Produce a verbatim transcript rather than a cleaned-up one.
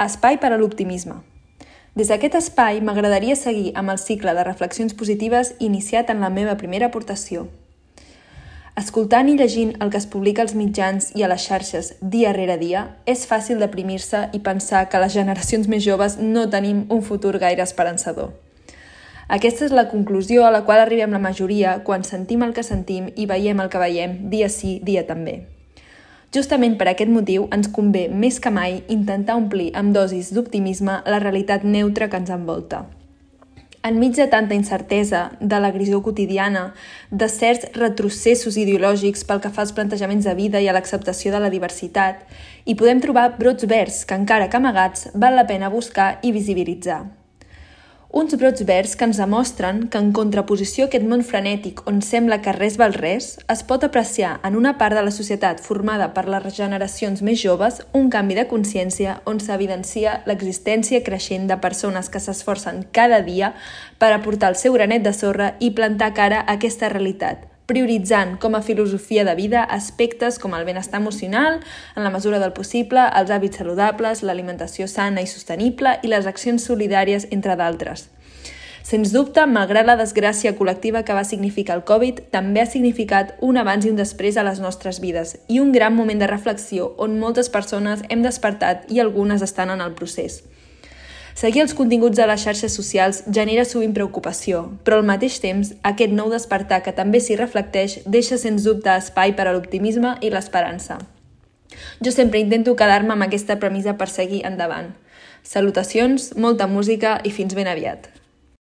Espai per a l'optimisme. Des d'aquest espai m'agradaria seguir amb el cicle de reflexions positives iniciat en la meva primera aportació. Escoltant i llegint el que es publica als mitjans i a les xarxes dia rere dia, és fàcil deprimir-se i pensar que les generacions més joves no tenim un futur gaire esperançador. Aquesta és la conclusió a la qual arribem la majoria quan sentim el que sentim i veiem el que veiem dia sí, dia també. Justament per aquest motiu ens convé més que mai intentar omplir amb dosis d'optimisme la realitat neutra que ens envolta. Enmig de tanta incertesa, de l'agressió quotidiana, de certs retrocessos ideològics pel que fa als plantejaments de vida i a l'acceptació de la diversitat, hi podem trobar brots verds que, encara que amagats, val la pena buscar i visibilitzar. Uns brots verds que ens demostren que en contraposició a aquest món frenètic on sembla que res val res, es pot apreciar en una part de la societat formada per les generacions més joves un canvi de consciència on s'evidencia l'existència creixent de persones que s'esforcen cada dia per aportar el seu granet de sorra i plantar cara a aquesta realitat, prioritzant com a filosofia de vida aspectes com el benestar emocional, en la mesura del possible, els hàbits saludables, l'alimentació sana i sostenible i les accions solidàries, entre d'altres. Sens dubte, malgrat la desgràcia col·lectiva que va significar el Covid, també ha significat un abans i un després a les nostres vides i un gran moment de reflexió on moltes persones hem despertat i algunes estan en el procés. Seguir els continguts de les xarxes socials genera sovint preocupació, però al mateix temps, aquest nou despertar que també s'hi reflecteix deixa sens dubte espai per a l'optimisme i l'esperança. Jo sempre intento quedar-me amb aquesta premissa per seguir endavant. Salutacions, molta música i fins ben aviat.